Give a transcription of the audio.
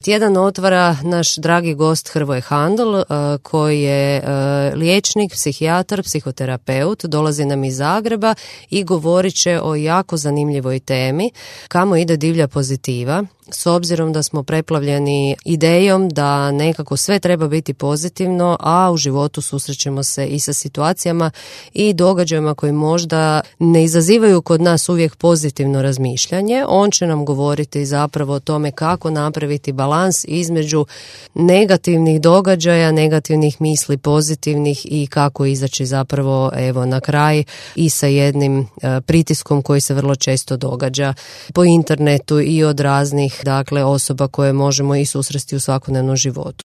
Tjedan otvara naš dragi gost Hrvoje Handl, koji je liječnik, psihijatar, psihoterapeut, dolazi nam iz Zagreba i govorit će o jako zanimljivoj temi kamo ide divlja pozitiva. S obzirom da smo preplavljeni idejom da nekako sve treba biti pozitivno, a u životu susrećemo se i sa situacijama i događajima koji možda ne izazivaju kod nas uvijek pozitivno razmišljanje, on će nam govoriti zapravo o tome kako napraviti balans između negativnih događaja, negativnih misli, pozitivnih i kako izaći zapravo na kraj i sa jednim pritiskom koji se vrlo često događa po internetu i od raznih osoba koje možemo i susresti u svakodnevnom životu.